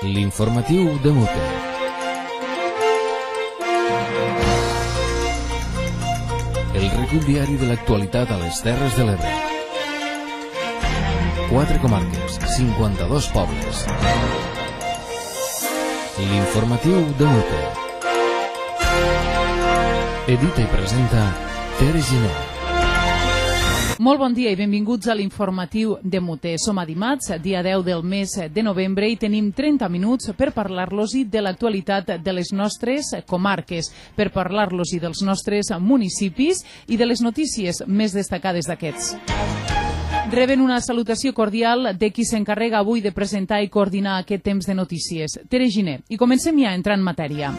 L'informatiu de Mute. El recull diari de l'actualitat a les Terres de l'Ebre. 4 comarques, 52 pobles. L'informatiu de Mute. Edita i presenta Tere Giner. Molt bon dia i benvinguts a l'informatiu de Mute. Som a dimarts, dia 10 del mes de novembre, i tenim 30 minuts per parlar-los-hi de l'actualitat de les nostres comarques, per parlar-los-hi dels nostres municipis i de les notícies més destacades d'aquests. Reben una salutació cordial de qui s'encarrega avui de presentar i coordinar aquest temps de notícies, Tere Giner. I comencem ja a entrar en matèria.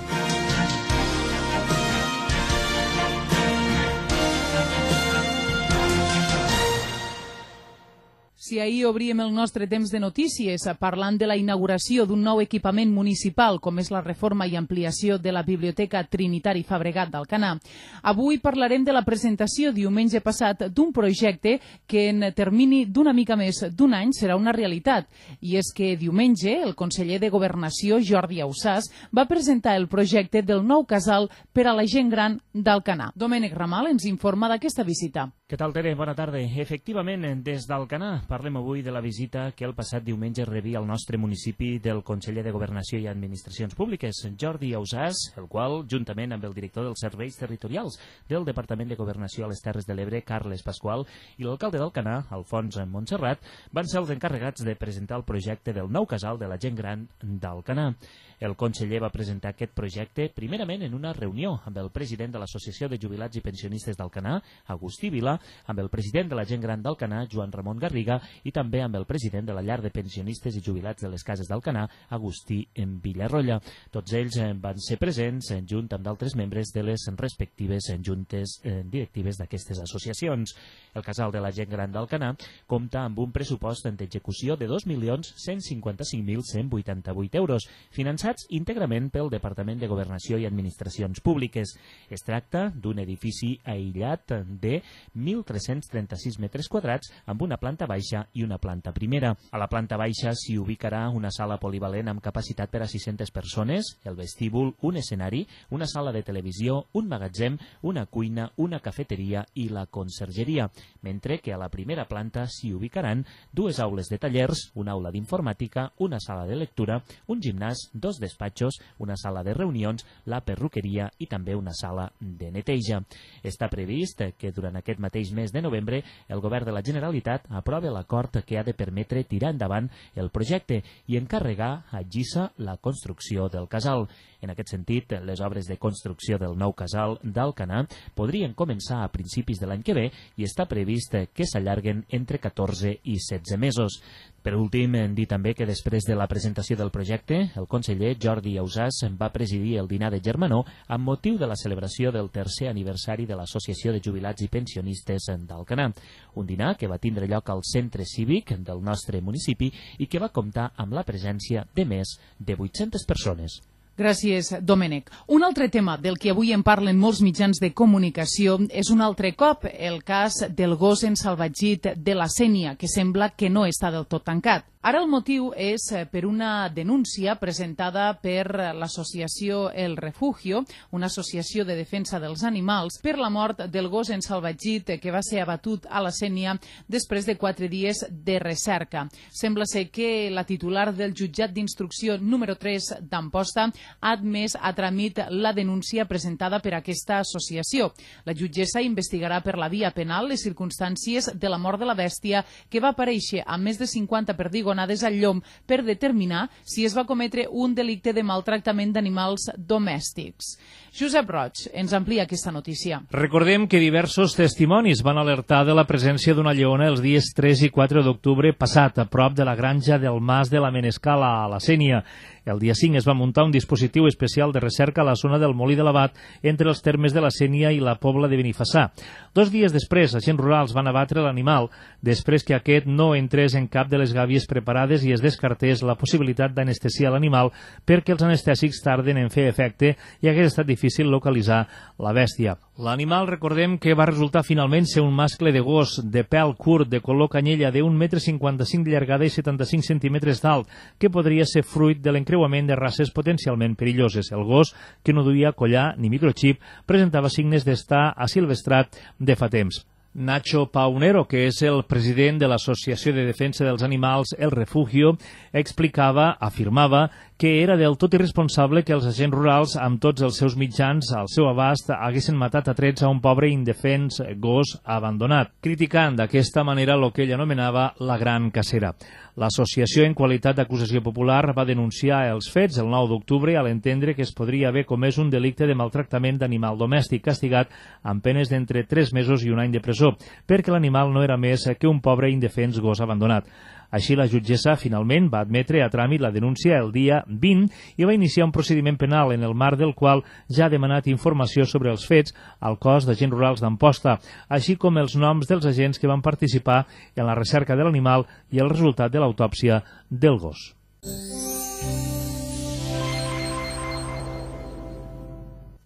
Si ahir obríem el nostre temps de notícies parlant de la inauguració d'un nou equipament municipal, com és la reforma i ampliació de la Biblioteca Trinitari Fabregat d'Alcanar, avui parlarem de la presentació diumenge passat d'un projecte que en termini d'una mica més d'un any serà una realitat. I és que diumenge el conseller de Governació, Jordi Ausàs, va presentar el projecte del nou casal per a la gent gran d'Alcanar. Domènec Ramal ens informa d'aquesta visita. Què tal, Tere? Bona tarda. Efectivament, des d'Alcanar parlem avui de la visita que el passat diumenge rebia al nostre municipi del conseller de Governació i Administracions Públiques, Jordi Ausàs, el qual, juntament amb el director dels serveis territorials del Departament de Governació a les Terres de l'Ebre, Carles Pasqual, i l'alcalde d'Alcanar, Alfons Montserrat, van ser els encarregats de presentar el projecte del nou casal de la gent gran d'Alcanar. El conseller va presentar aquest projecte primerament en una reunió amb el president de l'Associació de Jubilats i Pensionistes d'Alcanar, Agustí Vila, amb el president de la gent gran d'Alcanar, Joan Ramon Garriga, i també amb el president de la llar de pensionistes i jubilats de les cases d'Alcanar, Agustí Villarrolla. Tots ells van ser presents junt amb d'altres membres de les respectives juntes directives d'aquestes associacions. El casal de la gent gran d'Alcanar compta amb un pressupost d'execució de 2.155.188 euros, finançats íntegrament pel Departament de Governació i Administracions Públiques. Es tracta d'un edifici aïllat de 1.336 metres quadrats amb una planta baixa i una planta primera. A la planta baixa s'hi ubicarà una sala polivalent amb capacitat per a 600 persones, el vestíbul, un escenari, una sala de televisió, un magatzem, una cuina, una cafeteria i la consergeria, mentre que a la primera planta s'hi ubicaran 2 aules de tallers, una aula d'informàtica, una sala de lectura, un gimnàs, 2 despatxos, una sala de reunions, la perruqueria i també una sala de neteja. Està previst que durant aquest mateix mes de novembre el Govern de la Generalitat aprova l'acord que ha de permetre tirar endavant el projecte i encarregar a GISA la construcció del casal. En aquest sentit, les obres de construcció del nou casal d'Alcanar podrien començar a principis de l'any que ve i està previst que s'allarguen entre 14 i 16 mesos. Per últim, dir també que després de la presentació del projecte, el conseller Jordi Ausàs va presidir el dinar de germanor amb motiu de la celebració del 3è aniversari de l'Associació de Jubilats i Pensionistes d'Alcanar. Un dinar que va tindre lloc al centre cívic del nostre municipi i que va comptar amb la presència de més de 800 persones. Gràcies, Domènec. Un altre tema del que avui en parlen molts mitjans de comunicació és un altre cop el cas del gos ensalvatgit de la Sénia, que sembla que no està del tot tancat. Ara el motiu és per una denúncia presentada per l'associació El Refugio, una associació de defensa dels animals, per la mort del gos ensalvatgit que va ser abatut a la Sénia després de 4 dies de recerca. Sembla ser que la titular del jutjat d'instrucció número 3 d'Amposta ha admès a tràmit la denúncia presentada per aquesta associació. La jutgessa investigarà per la via penal les circumstàncies de la mort de la bèstia, que va aparèixer amb més de 50 perdigonades al llom, per determinar si es va cometre un delicte de maltractament d'animals domèstics. Josep Roig ens amplia aquesta notícia. Recordem que diversos testimonis van alertar de la presència d'una lleona els dies 3 i 4 d'octubre passat, a prop de la granja del Mas de la Menescala, a la Sénia. El dia 5 es va muntar un dispositiu especial de recerca a la zona del Molí de l'Abat, entre els termes de la Sénia i la Pobla de Benifassà. 2 dies després, agents rurals van abatre l'animal, després que aquest no entrés en cap de les gàbies preparades i es descartés la possibilitat d'anestesiar l'animal perquè els anestèsics tarden en fer efecte i hagués estat difícil localitzar la bèstia. L'animal, recordem que va resultar finalment ser un mascle de gos de pèl curt, de color canyella, de 1,55 m de llargada i 75 cm d'alt, que podria ser fruit de l'encreuament encreuament de races potencialment perilloses. El gos, que no duia collar ni microchip, presentava signes d'estar asilvestrat de fa temps. Nacho Paunero, que és el president de l'Associació de Defensa dels Animals El Refugio, afirmava que era del tot irresponsable que els agents rurals, amb tots els seus mitjans al seu abast, haguessin matat a trets a un pobre i indefens gos abandonat, criticant d'aquesta manera el que ell anomenava la gran cacera. L'associació, en qualitat d'acusació popular, va denunciar els fets el 9 d'octubre a l'entendre que es podria haver comès un delicte de maltractament d'animal domèstic castigat amb penes d'entre 3 mesos i 1 any de presó, perquè l'animal no era més que un pobre i indefens gos abandonat. Així, la jutgessa finalment va admetre a tràmit la denúncia el dia 20 i va iniciar un procediment penal en el marc del qual ja ha demanat informació sobre els fets al cos d'agents rurals d'Amposta, així com els noms dels agents que van participar en la recerca de l'animal i el resultat de l'autòpsia del gos.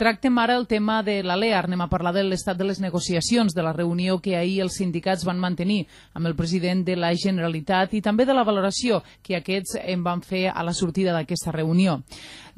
Tractem ara el tema de la LEAR. Anem a parlar de l'estat de les negociacions, de la reunió que ahir els sindicats van mantenir amb el president de la Generalitat i també de la valoració que aquests en van fer a la sortida d'aquesta reunió.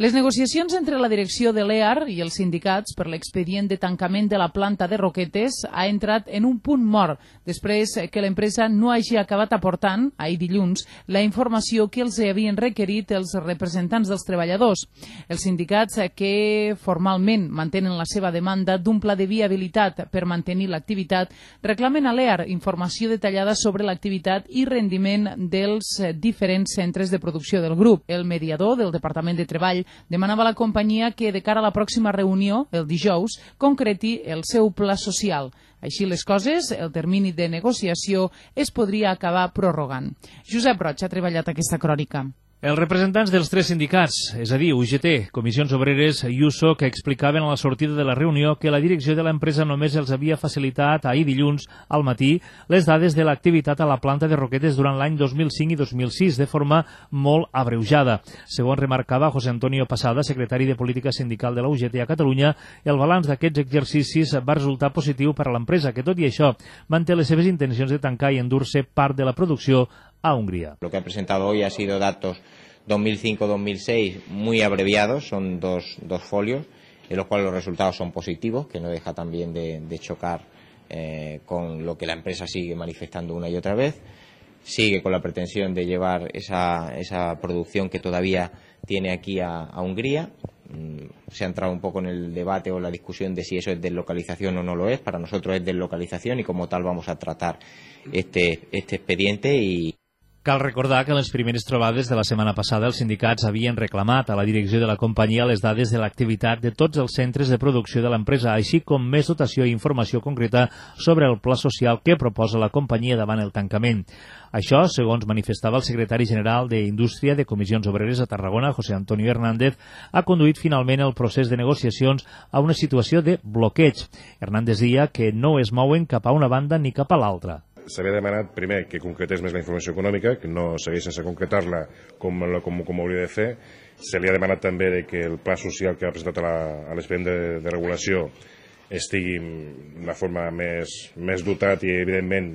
Les negociacions entre la direcció de l'EAR i els sindicats per l'expedient de tancament de la planta de Roquetes ha entrat en un punt mort després que l'empresa no hagi acabat aportant, ahir dilluns, la informació que els havien requerit els representants dels treballadors. Els sindicats que formalment mantenen la seva demanda d'un pla de viabilitat per mantenir l'activitat reclamen a l'EAR informació detallada sobre l'activitat i rendiment dels diferents centres de producció del grup. El mediador del Departament de Treball demanava a la companyia que de cara a la pròxima reunió, el dijous, concreti el seu pla social. Així les coses, el termini de negociació es podria acabar prorrogant. Josep Roig ha treballat aquesta crònica. Els representants dels 3 sindicats, és a dir, UGT, Comissions Obreres i USO, que explicaven a la sortida de la reunió que la direcció de l'empresa només els havia facilitat ahir dilluns al matí les dades de l'activitat a la planta de Roquetes durant l'any 2005 i 2006 de forma molt abreujada. Segons remarcava José Antonio Pasada, secretari de Política Sindical de la UGT a Catalunya, el balanç d'aquests exercicis va resultar positiu per a l'empresa, que tot i això manté les seves intencions de tancar i endur-se part de la producció a Hungría. Lo que ha presentado hoy ha sido datos 2005-2006 muy abreviados, son dos folios, en los cuales los resultados son positivos, que no deja también de chocar con lo que la empresa sigue manifestando una y otra vez. Sigue con la pretensión de llevar esa producción que todavía tiene aquí a Hungría. Se ha entrado un poco en el debate o la discusión de si eso es deslocalización o no lo es. Para nosotros es deslocalización y como tal vamos a tratar este expediente y... Cal recordar que en les primeres trobades de la setmana passada els sindicats havien reclamat a la direcció de la companyia les dades de l'activitat de tots els centres de producció de l'empresa, així com més dotació i informació concreta sobre el pla social que proposa la companyia davant el tancament. Això, segons manifestava el secretari general d'Indústria de Comissions Obreres a Tarragona, José Antonio Hernández, ha conduït finalment el procés de negociacions a una situació de bloqueig. Hernández deia que no es mouen cap a una banda ni cap a l'altra. S'havia demanat primer que concretés més la informació econòmica, que no segueix sense concretar-la com hauria de fer. Se li ha demanat també que el pla social que ha presentat a l'expedient de regulació estigui d'una forma més dotat i, evidentment,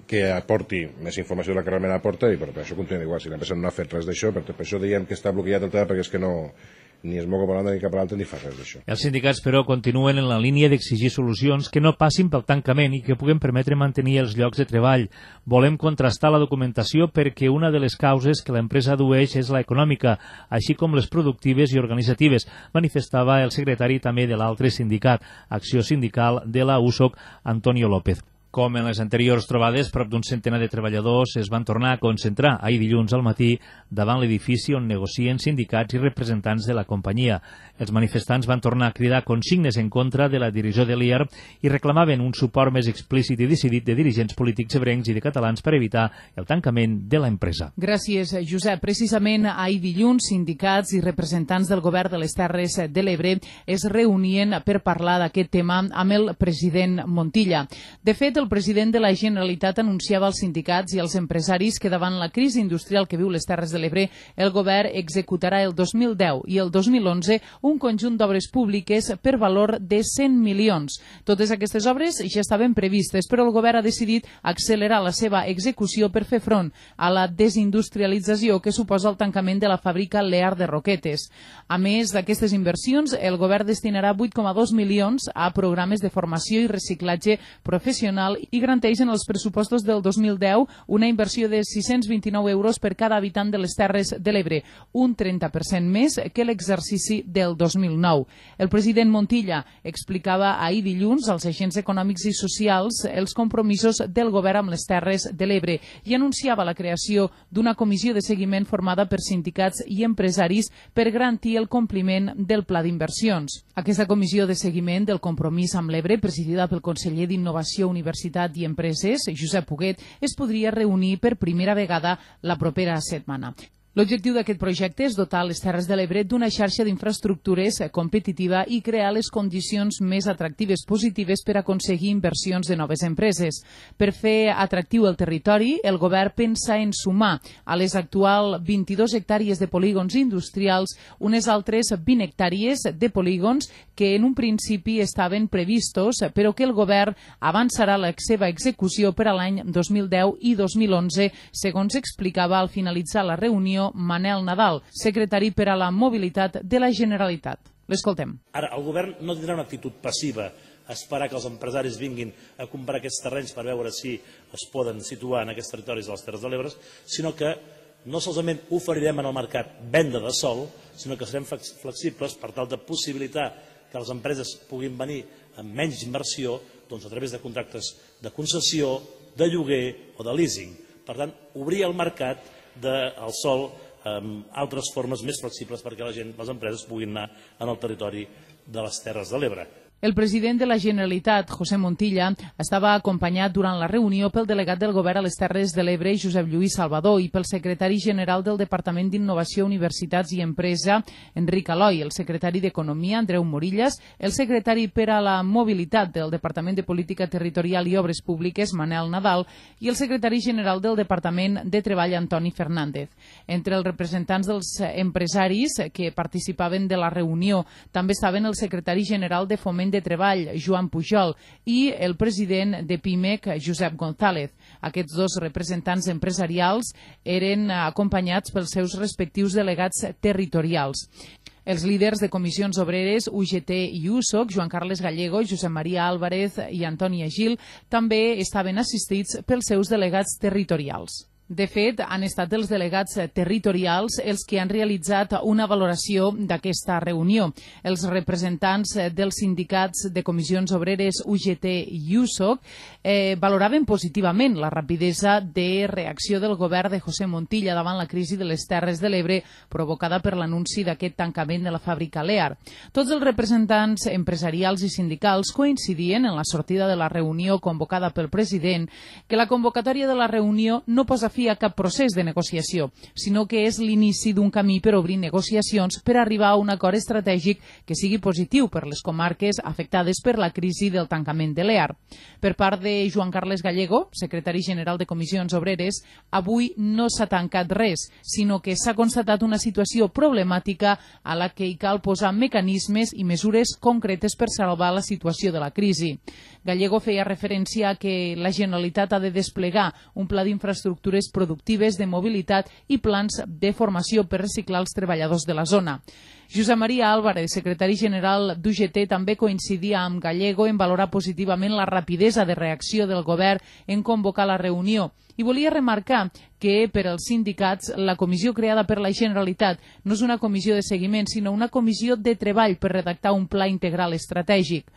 que aporti més informació de la que realment aporta, i per això continua igual. Si l'empresa no ha fet res d'això, per això diem que està bloquejat el tema, perquè és que no... ni es mou cap a l'altre ni cap a l'altre ni fa res d'això. Els sindicats, però, continuen en la línia d'exigir solucions que no passin pel tancament i que puguen permetre mantenir els llocs de treball. Volem contrastar la documentació perquè una de les causes que l'empresa adueix és la econòmica, així com les productives i organitzatives, manifestava el secretari també de l'altre sindicat, Acció Sindical de la USOC, Antonio López. Com en les anteriors trobades, prop d'un centenar de treballadors es van tornar a concentrar ahir dilluns al matí davant l'edifici on negocien sindicats i representants de la companyia. Els manifestants van tornar a cridar consignes en contra de la direcció de l'IAR i reclamaven un suport més explícit i decidit de dirigents polítics ebrencs i de catalans per evitar el tancament de l'empresa. Gràcies, Josep. Precisament ahir dilluns, sindicats i representants del govern de les Terres de l'Ebre es reunien per parlar d'aquest tema amb el president Montilla. De fet, el president de la Generalitat anunciava als sindicats i als empresaris que davant la crisi industrial que viu les Terres de l'Ebre, el govern executarà el 2010 i el 2011 un conjunt d'obres públiques per valor de 100 milions. Totes aquestes obres ja estaven previstes, però el govern ha decidit accelerar la seva execució per fer front a la desindustrialització que suposa el tancament de la fàbrica Lear de Roquetes. A més d'aquestes inversions, el govern destinarà 8,2 milions a programes de formació i reciclatge professional i garanteix en els pressupostos del 2010 una inversió de 629 euros per cada habitant de les Terres de l'Ebre, un 30% més que l'exercici del 2009. El president Montilla explicava ahir dilluns als agents econòmics i socials els compromisos del govern amb les Terres de l'Ebre i anunciava la creació d'una comissió de seguiment formada per sindicats i empresaris per garantir el compliment del pla d'inversions. Aquesta comissió de seguiment del compromís amb l'Ebre, presidida pel conseller d'Innovació, Universitat i Empreses, Josep Huguet, es podria reunir per primera vegada la propera setmana. L'objectiu d'aquest projecte és dotar les Terres de l'Ebre d'una xarxa d'infraestructures competitiva i crear les condicions més atractives positives per aconseguir inversions de noves empreses. Per fer atractiu el territori, el govern pensa en sumar a les actuals 22 hectàrees de polígons industrials unes altres 20 hectàrees de polígons que en un principi estaven previstos, però que el govern avançarà la seva execució per a l'any 2010 i 2011, segons explicava al finalitzar la reunió Manel Nadal, secretari per a la mobilitat de la Generalitat. L'escoltem. Ara, el govern no tindrà una actitud passiva a esperar que els empresaris vinguin a comprar aquests terrenys per veure si es poden situar en aquests territoris de les Terres de l'Ebre, sinó que no solament oferirem en el mercat venda de sòl, sinó que serem flexibles per tal de possibilitar que les empreses puguin venir amb menys inversió a través de contractes de concessió, de lloguer o de leasing. Per tant, obrir el mercat del sòl amb altres formes més flexibles perquè la gent, les empreses, puguin anar en el territori de les Terres de l'Ebre. El president de la Generalitat, José Montilla, estava acompanyat durant la reunió pel delegat del govern a les Terres de l'Ebre, Josep Lluís Salvador, i pel secretari general del Departament d'Innovació, Universitats i Empresa, Enric Aloi, el secretari d'Economia, Andreu Morillas, el secretari per a la Mobilitat del Departament de Política Territorial i Obres Públiques, Manel Nadal, i el secretari general del Departament de Treball, Antoni Fernández. Entre els representants dels empresaris que participaven de la reunió també estaven el secretari general de Foment de Treball, Joan Pujol, i el president de PIMEC, Josep González. Aquests dos representants empresarials eren acompanyats pels seus respectius delegats territorials. Els líders de comissions obreres, UGT i USOC, Joan Carles Gallego, Josep Maria Álvarez i Antoni Agil, també estaven assistits pels seus delegats territorials. De fet, han estat els delegats territorials els que han realitzat una valoració d'aquesta reunió. Els representants dels sindicats de comissions obreres UGT i USOC valoraven positivament la rapidesa de reacció del govern de José Montilla davant la crisi de les Terres de l'Ebre provocada per l'anunci d'aquest tancament de la fàbrica Lear. Tots els representants empresarials i sindicals coincidien en la sortida de la reunió convocada pel president que la convocatòria de la reunió no posa fi a cap procés de negociació, sinó que és l'inici d'un camí per obrir negociacions per arribar a un acord estratègic que sigui positiu per les comarques afectades per la crisi del tancament de l'EAR. Per part de Joan Carles Gallego, secretari general de Comissions Obreres, avui no s'ha tancat res, sinó que s'ha constatat una situació problemàtica a la que hi cal posar mecanismes i mesures concretes per salvar la situació de la crisi. Gallego feia referència a que la Generalitat ha de desplegar un pla d'infraestructures productives de mobilitat i plans de formació per reciclar els treballadors de la zona. Josep Maria Álvarez, secretari general d'UGT, també coincidia amb Gallego en valorar positivament la rapidesa de reacció del govern en convocar la reunió i volia remarcar que per als sindicats la comissió creada per la Generalitat no és una comissió de seguiment, sinó una comissió de treball per redactar un pla integral estratègic.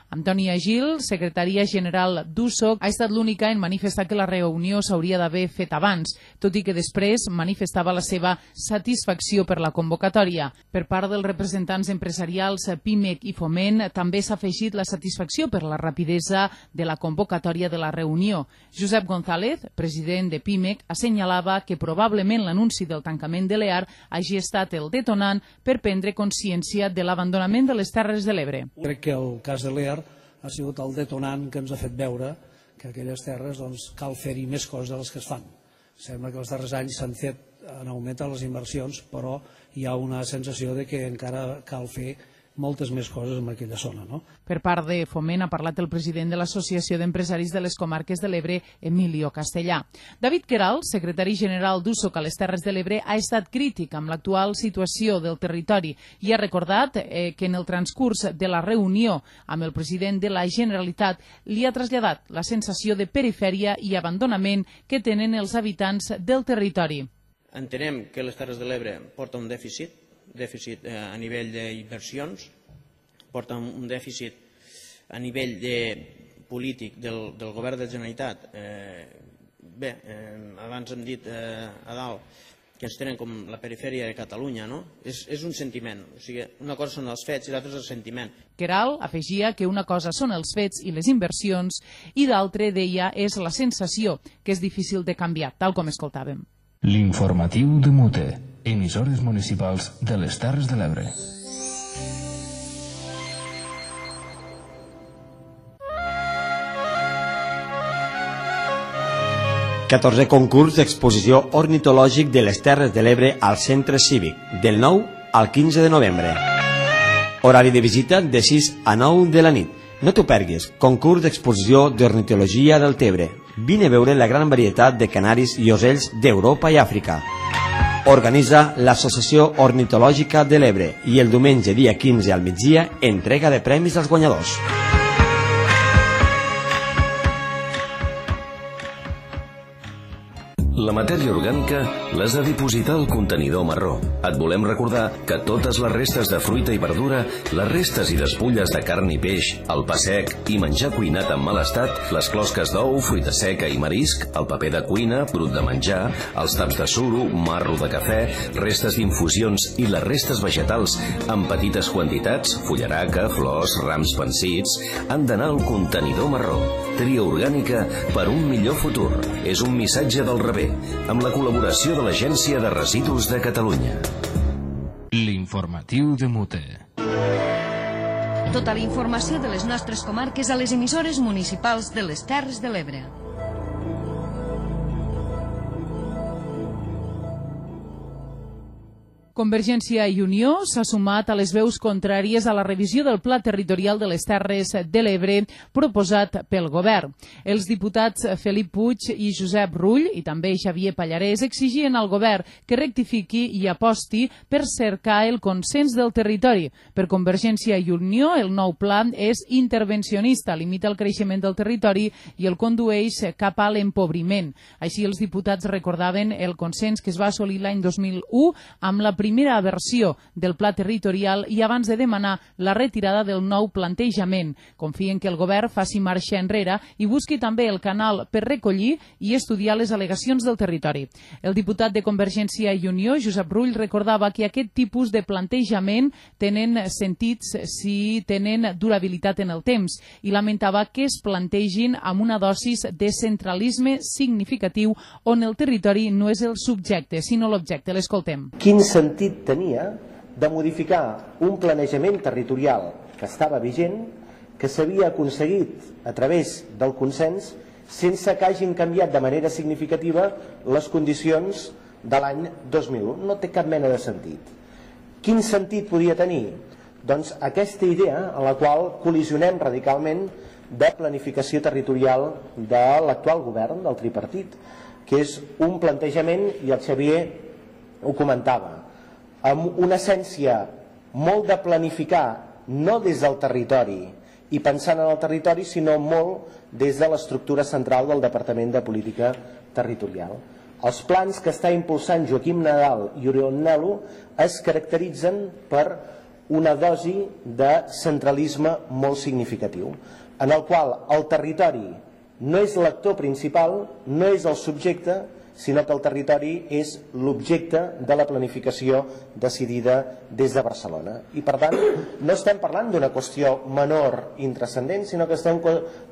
Antoni Agil, secretària general d'USOC, ha estat l'única en manifestar que la reunió s'hauria d'haver fet abans, tot i que després manifestava la seva satisfacció per la convocatòria. Per part dels representants empresarials PIMEC i Foment també s'ha afegit la satisfacció per la rapidesa de la convocatòria de la reunió. Josep González, president de PIMEC, assenyalava que probablement l'anunci del tancament de l'EAR hagi estat el detonant per prendre consciència de l'abandonament de les Terres de l'Ebre. Crec que el cas de l'EAR ha sigut el detonant que ens ha fet veure que aquelles terres cal fer-hi més coses de les que es fan. Sembla que els darrers anys han augmentat les inversions, però hi ha una sensació de que encara cal fer moltes més coses en aquella zona. Per part de Foment ha parlat el president de l'Associació d'Empresaris de les Comarques de l'Ebre, Emilio Castellà. David Queralt, secretari general d'USOC a les Terres de l'Ebre, ha estat crític amb l'actual situació del territori i ha recordat que en el transcurs de la reunió amb el president de la Generalitat li ha traslladat la sensació de perifèria i abandonament que tenen els habitants del territori. Entenem que les Terres de l'Ebre porta un dèficit a nivell d'inversions, porta un dèficit a nivell polític del govern de la Generalitat. Bé, abans hem dit a dalt que ens tenen com la perifèria de Catalunya, no? És un sentiment, o sigui, una cosa són els fets i l'altra és el sentiment. Queralt afegia que una cosa són els fets i les inversions i l'altra, deia, és la sensació, que és difícil de canviar, tal com escoltàvem. L'informatiu de Mute, emissores municipals de les Terres de l'Ebre. XIV concurs d'exposició ornitològic de les Terres de l'Ebre al Centre Cívic, del 9 al 15 de novembre. Horari de visita de 6 a 9 de la nit. No t'ho perguis, concurs d'exposició d'ornitologia del Tebre. Vine a veure la gran varietat de canaris i ocells d'Europa i Àfrica. Organitza l'Associació Ornitològica de l'Ebre i el diumenge dia 15 al migdia entrega de premis als guanyadors. La matèria orgànica l'has de dipositar al contenidor marró. Et volem recordar que totes les restes de fruita i verdura, les restes i despulles de carn i peix, el pa sec i menjar cuinat en mal estat, les closques d'ou, fruita seca i marisc, el paper de cuina, brut de menjar, els taps de suro, marro de cafè, restes d'infusions i les restes vegetals en petites quantitats, fullaraca, flors, rams pansits, han d'anar al contenidor marró. Tria orgànica per un millor futur. És un missatge del rebé, amb la col·laboració de l'Agència de Residus de Catalunya. L'informatiu de Mute. Tota la informació de les nostres comarques a les emissores municipals de les Terres de l'Ebre. Convergència i Unió s'ha sumat a les veus contràries a la revisió del Pla Territorial de les Terres de l'Ebre proposat pel govern. Els diputats Felip Puig i Josep Rull i també Xavier Pallarès exigien al govern que rectifiqui i aposti per cercar el consens del territori. Per Convergència i Unió, el nou pla és intervencionista, limita el creixement del territori i el condueix cap a l'empobriment. Així, els diputats recordaven el consens que es va assolir l'any 2001 amb la primera versió del pla territorial i abans de demanar la retirada del nou plantejament. Confien que el govern faci marxa enrere i busqui també el canal per recollir i estudiar les al·legacions del territori. El diputat de Convergència i Unió, Josep Rull, recordava que aquest tipus de plantejament tenen sentits si tenen durabilitat en el temps i lamentava que es plantegin amb una dosis de centralisme significatiu on el territori no és el subjecte, sinó l'objecte. L'escoltem. Quin sentit tenia de modificar un planejament territorial que estava vigent, que s'havia aconseguit a través del consens sense que hagin canviat de manera significativa les condicions de l'any 2001. No té cap mena de sentit. Quin sentit podia tenir? Doncs aquesta idea en la qual col·lisionem radicalment de planificació territorial de l'actual govern, del tripartit, que és un plantejament, i el Xavier ho comentava, amb una essència molt de planificar, no des del territori i pensant en el territori, sinó molt des de l'estructura central del Departament de Política Territorial. Els plans que està impulsant Joaquim Nadal i Oriol Nel·lo es caracteritzen per una dosi de centralisme molt significatiu, en el qual el territori no és l'actor principal, no és el subjecte, sinó que el territori és l'objecte de la planificació decidida des de Barcelona. I per tant, no estem parlant d'una qüestió menor intrascendent, sinó que estem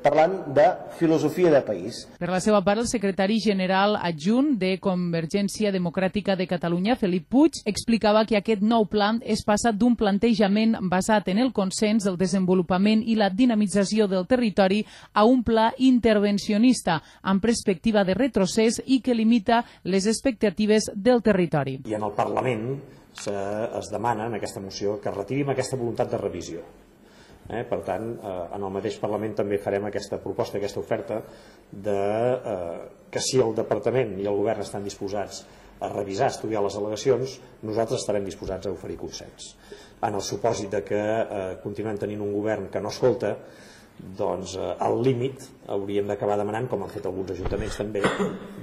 parlant de filosofia de país. Per la seva part, el secretari general adjunt de Convergència Democràtica de Catalunya, Felip Puig, explicava que aquest nou pla és passat d'un plantejament basat en el consens, el desenvolupament i la dinamització del territori a un pla intervencionista amb perspectiva de retrocés i que limita les expectatives del territori. I en el Parlament es demana en aquesta moció que retirim aquesta voluntat de revisió. Per tant, en el mateix Parlament també farem aquesta proposta, aquesta oferta que si el Departament i el Govern estan disposats a revisar, estudiar les al·legacions, nosaltres estarem disposats a oferir consens. En el supòsit que continuem tenint un govern que no escolta, doncs al límit hauríem d'acabar demanant, com han fet alguns ajuntaments també,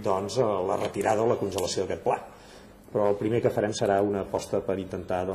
doncs la retirada o la congelació d'aquest pla. Però el primer que farem serà una aposta per intentar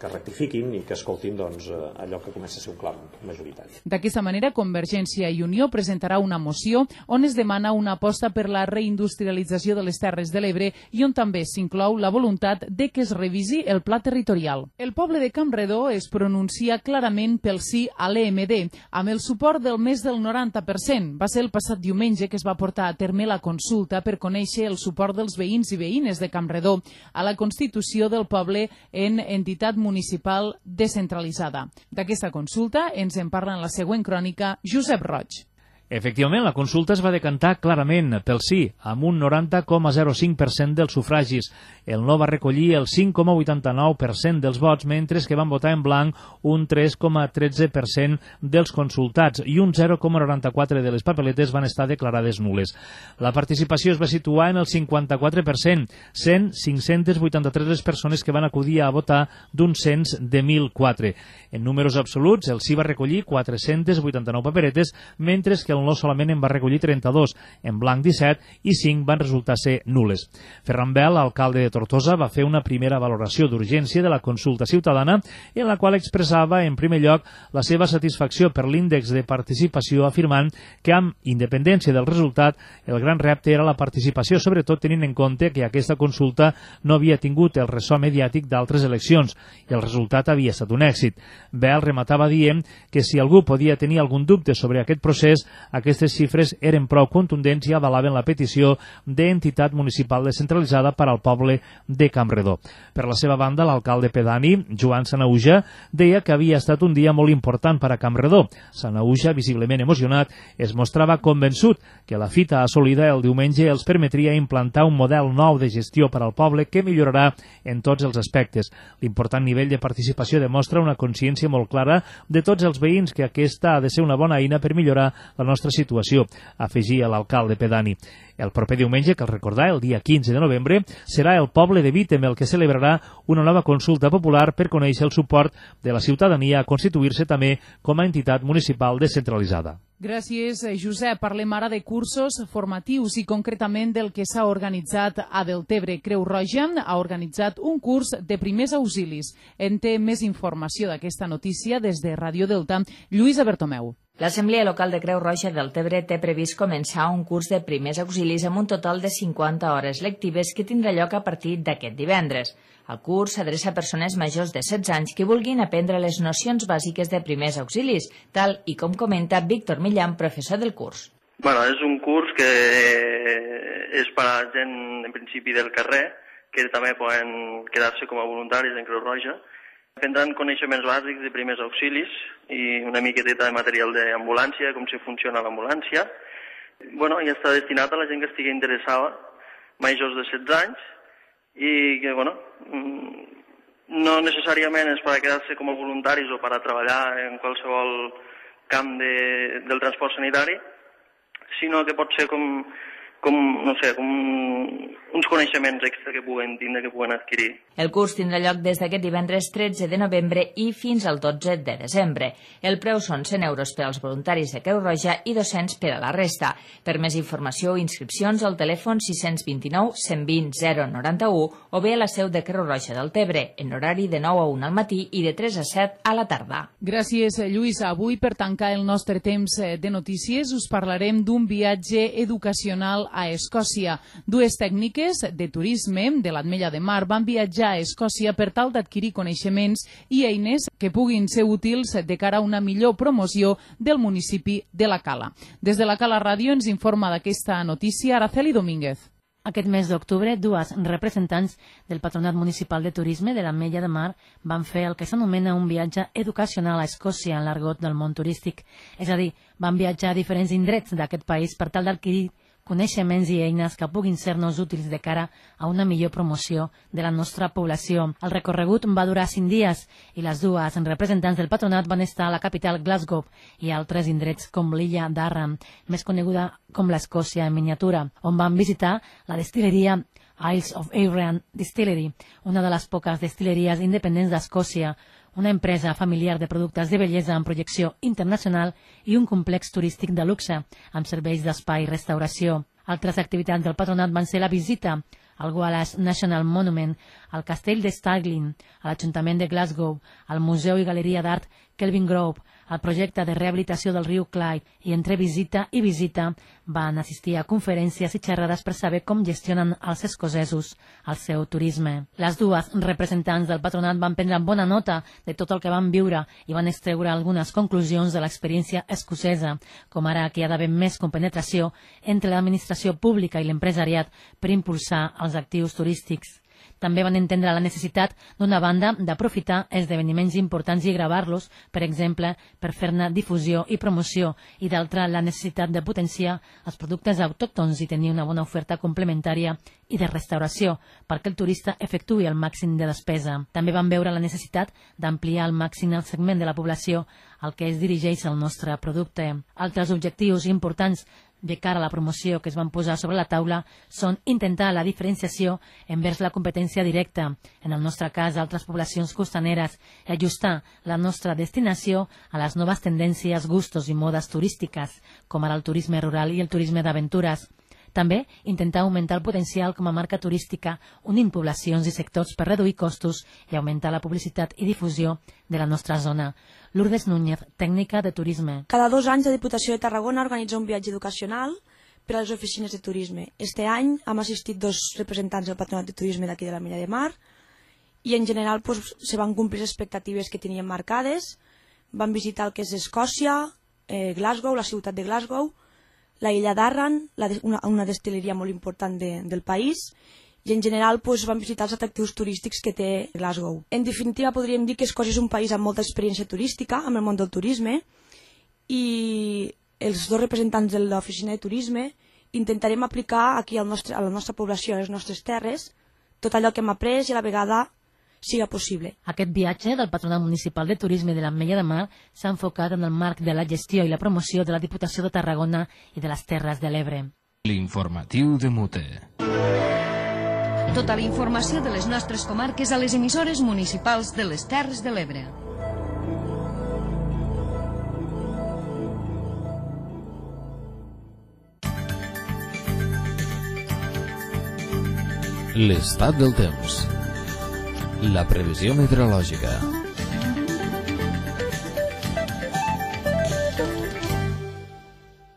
que rectifiquin i que escoltin allò que comença a ser un clam majoritari. D'aquesta manera, Convergència i Unió presentarà una moció on es demana una aposta per la reindustrialització de les Terres de l'Ebre i on també s'inclou la voluntat de que es revisi el pla territorial. El poble de Campredó es pronuncia clarament pel sí a l'EMD, amb el suport del més del 90%. Va ser el passat diumenge que es va portar a terme la consulta per conèixer el suport dels veïns i veïnes de Campredó a la constitució del poble en entitat municipal descentralitzada. D'aquesta consulta ens en parla en la següent crònica Josep Roig. Efectivament, la consulta es va decantar clarament pel sí, amb un 90,05% dels sufragis. El no va recollir el 5,89% dels vots, mentre que van votar en blanc un 3,13% dels consultats i un 0,94% de les papeletes van estar declarades nules. La participació es va situar en el 54%, sent 583 les persones que van acudir a votar d'un cens de 1.004. En números absoluts, el sí va recollir 489 paperetes, mentre que el no solament en va recollir 32, en blanc 17 i 5 van resultar ser nules. Ferran Bel, alcalde de Tortosa, va fer una primera valoració d'urgència de la consulta ciutadana en la qual expressava en primer lloc la seva satisfacció per l'índex de participació, afirmant que amb independència del resultat el gran repte era la participació, sobretot tenint en compte que aquesta consulta no havia tingut el ressò mediàtic d'altres eleccions i el resultat havia estat un èxit. Bel rematava dient que si algú podia tenir algun dubte sobre aquest procés, aquestes xifres eren prou contundents i avalaven la petició d'entitat municipal descentralitzada per al poble de Campredó. Per la seva banda, l'alcalde pedani, Joan Sanauja, deia que havia estat un dia molt important per a Campredó. Sanauja, visiblement emocionat, es mostrava convençut que la fita assolida el diumenge els permetria implantar un model nou de gestió per al poble que millorarà en tots els aspectes. L'important nivell de participació demostra una consciència molt clara de tots els veïns que aquesta ha de ser una bona eina per millorar la nostra situació, afegia l'alcalde pedani. El proper diumenge, cal recordar, el dia 15 de novembre, serà el poble de Vítem el que celebrarà una nova consulta popular per conèixer el suport de la ciutadania a constituir-se també com a entitat municipal descentralitzada. Gràcies, Josep. Parlem ara de cursos formatius i concretament del que s'ha organitzat a Deltebre. Creu Roja ha organitzat un curs de primers auxilis. En té més informació d'aquesta notícia des de Ràdio Delta, Lluïsa Bertomeu. L'Assemblea Local de Creu Roja del Deltebre té previst començar un curs de primers auxilis amb un total de 50 hores lectives que tindrà lloc a partir d'aquest divendres. El curs s'adreça a persones majors de 16 anys que vulguin aprendre les nocions bàsiques de primers auxilis, tal i com comenta Víctor Millán, professor del curs. És un curs que és per a gent, en principi, del carrer, que també poden quedar-se com a voluntaris en Creu Roja. Prendran coneixements bàsics de primers auxilis i una miqueteta de material d'ambulància, com si funciona l'ambulància. I està destinat a la gent que estigui interessada, majors de 16 anys, i que, no necessàriament és per a quedar-se com a voluntaris o per a treballar en qualsevol camp del transport sanitari, sinó que pot ser com uns coneixements extra que puguen tindre, que puguen adquirir. El curs tindrà lloc des d'aquest divendres 13 de novembre i fins al 12 de desembre. El preu són 100 euros per als voluntaris de Creu Roja i 200 per a la resta. Per més informació o inscripcions al telèfon 629 120 091 o bé a la seu de Creu Roja del Deltebre, en horari de 9 a 1 al matí i de 3 a 7 a la tarda. Gràcies, Lluïsa. Avui, per tancar el nostre temps de notícies, us parlarem d'un viatge educacional municipal a Escòcia. Dues tècniques de turisme de l'Ametlla de Mar van viatjar a Escòcia per tal d'adquirir coneixements i eines que puguin ser útils de cara a una millor promoció del municipi de la Cala. Des de la Cala Ràdio ens informa d'aquesta notícia Araceli Domínguez. Aquest mes d'octubre, dues representants del Patronat Municipal de Turisme de l'Ametlla de Mar van fer el que s'anomena un viatge educacional a Escòcia en l'argot del món turístic. És a dir, van viatjar a diferents indrets d'aquest país per tal d'adquirir coneixements i eines que puguin ser-nos útils de cara a una millor promoció de la nostra població. El recorregut va durar 5 dies i les dues representants del patronat van estar a la capital Glasgow i a altres indrets com l'illa d'Arran, més coneguda com l'Escòcia en miniatura, on van visitar la destil·leria Isles of Arran Distillery, una de les poques destil·leries independents d'Escòcia, una empresa familiar de productes de bellesa amb projecció internacional i un complex turístic de luxe, amb serveis d'espai i restauració. Altres activitats del patronat van ser la visita al Wallace National Monument, al castell de Stirling, a l'Ajuntament de Glasgow, al Museu i Galeria d'Art Kelvingrove, al projecte de rehabilitació del riu Clyde, i entre visita i visita van assistir a conferències i xerrades per saber com gestionen els escocesos el seu turisme. Les dues representants del patronat van prendre bona nota de tot el que van viure i van extreure algunes conclusions de l'experiència escocesa, com ara que hi ha d'haver més compenetració entre l'administració pública i l'empresariat per impulsar els actius turístics. També van entendre la necessitat, d'una banda, d'aprofitar esdeveniments importants i gravar-los, per exemple, per fer-ne difusió i promoció, i d'altra, la necessitat de potenciar els productes autòctons i tenir una bona oferta complementària i de restauració, perquè el turista efectuï el màxim de despesa. També van veure la necessitat d'ampliar al màxim el segment de la població al que es dirigeix el nostre producte. Altres objectius importants de cara a la promoció que es van posar sobre la taula són intentar la diferenciació envers la competència directa, en el nostre cas altres poblacions costaneres, i ajustar la nostra destinació a les noves tendències, gustos i modes turístiques, com ara el turisme rural i el turisme d'aventures. També intentar augmentar el potencial com a marca turística, unint poblacions i sectors per reduir costos i augmentar la publicitat i difusió de la nostra zona. Lourdes Núñez, tècnica de turisme. Cada 2 anys la Diputació de Tarragona organitza un viatge educacional per a les oficines de turisme. Este any hem assistit 2 representants del Patronat de Turisme d'aquí de l'Ametlla de Mar i en general se van complir les expectatives que teníem marcades. Van visitar el que és Escòcia, Glasgow, la ciutat de Glasgow, la illa d'Arran, una destil·leria molt important del país, i en general van visitar els atractius turístics que té Glasgow. En definitiva, podríem dir que Escòcia és un país amb molta experiència turística, amb el món del turisme, i els 2 representants de l'oficina de turisme intentarem aplicar aquí a la nostra població, a les nostres terres, tot allò que hem après i a la vegada siga possible. Aquest viatge del Patronat Municipal de Turisme de l'Ametlla de Mar s'ha enfocat en el marc de la gestió i la promoció de la Diputació de Tarragona i de les Terres de l'Ebre. L'informatiu de Mute. Tota la informació de les nostres comarques a les emissores municipals de les Terres de l'Ebre. L'estat del temps. La previsió meteorològica.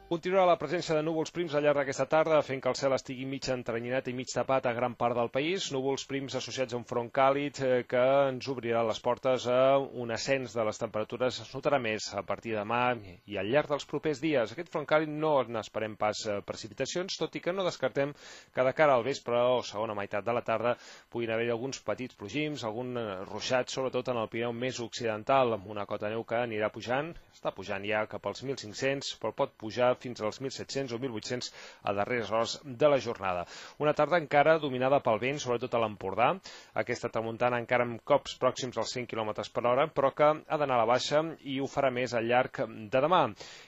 Continuarà la presència de núvols prims al llarg d'aquesta tarda, fent que el cel estigui mig entrenyinat i mig tapat a gran part del país. Núvols prims associats a un front càlid que ens obrirà les portes a un ascens de les temperatures. Es notarà més a partir de demà i al llarg dels propers dies. Aquest front càlid no n'esperem pas precipitacions, tot i que no descartem que de cara al vespre o segona meitat de la tarda puguin haver alguns petits plogims, algun ruixat, sobretot en el Pirineu més occidental, amb una cota de neu que anirà pujant. Està pujant ja cap als 1.500, però pot pujar fins als 1.700 o 1.800 a darreres hores de la jornada. Una tarda encara dominada pel vent, sobretot a l'Empordà. Aquesta tramuntana encara amb cops pròxims als 100 km per hora, però que ha d'anar a la baixa i ho farà més al llarg de demà.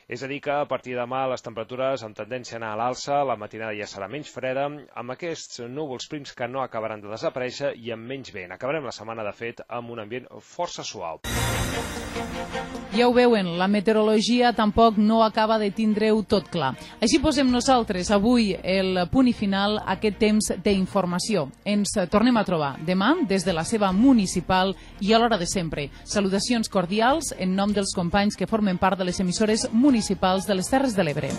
És a dir que a partir de demà les temperatures amb tendència a anar a l'alça, la matinada ja serà menys freda, amb aquests núvols prims que no acabaran de desaparèixer i amb menys vent. Acabarem la setmana, de fet, amb un ambient força suau. Ja ho veuen, la meteorologia tampoc no acaba de tindre-ho tot clar. Així posem nosaltres avui el punt i final a aquest temps d'informació. Ens tornem a trobar demà des de la seva municipal i a l'hora de sempre. Salutacions cordials en nom dels companys que formen part de les emissores municipals de les Terres de l'Ebre.